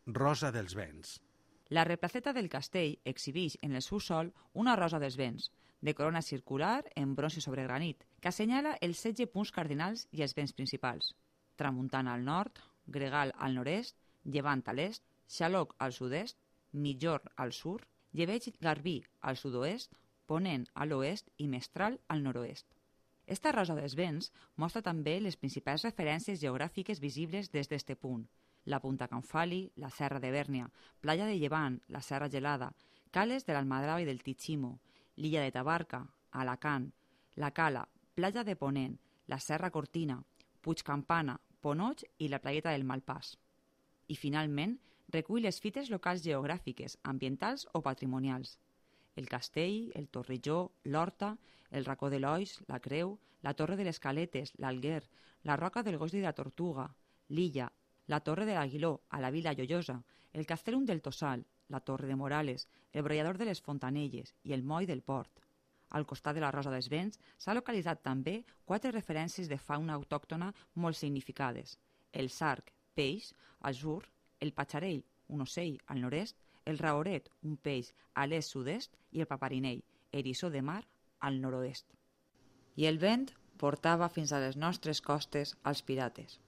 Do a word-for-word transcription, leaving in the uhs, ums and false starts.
Rosa dels Vents. La replaceta del castell exhibeix en el seu sòl una rosa dels vents, de corona circular en bronze sobre granit, que assenyala els setze punts cardinals i els vents principals. Tramuntana al nord, gregal al nord-est, llevant a l'est, xaloc al sud-est, mitjorn al sud, llebeig garbí al sud-oest, ponent a l'oest i mestral al nord-oest. Esta rosa dels vents mostra també les principals referències geogràfiques visibles des d'este punt: la Punta Canfali, la Serra de Bèrnia, Playa de Llevant, la Serra Gelada, Cales de l'Almadrava i del Tichimo, l'illa de Tabarca, Alacant, la Cala, Playa de Ponent, la Serra Cortina, Puig Campana, Ponoig i la Playeta del Malpàs. I, finalment, recull les fites locals geogràfiques, ambientals o patrimonials. El castell, el torrelló, l'horta, el racó de l'Oix, la creu, la torre de les Caletes, l'Alguer, la roca del Gos i de la Tortuga, l'illa, la torre de l'Aguiló, a la Vila Lloiosa, el castellum del Tossal, la torre de Morales, el brollador de les Fontanelles i el moll del Port. Al costat de la Rosa dels Vents s'ha localitzat també quatre referències de fauna autòctona molt significades: el sarg, peix, al sud, el patxarell, un ocell, al nord-est, el raoret, un peix, a l'est-sud-est, i el paparinell, eriçó de mar, al nord-oest. I el vent portava fins a les nostres costes als pirates.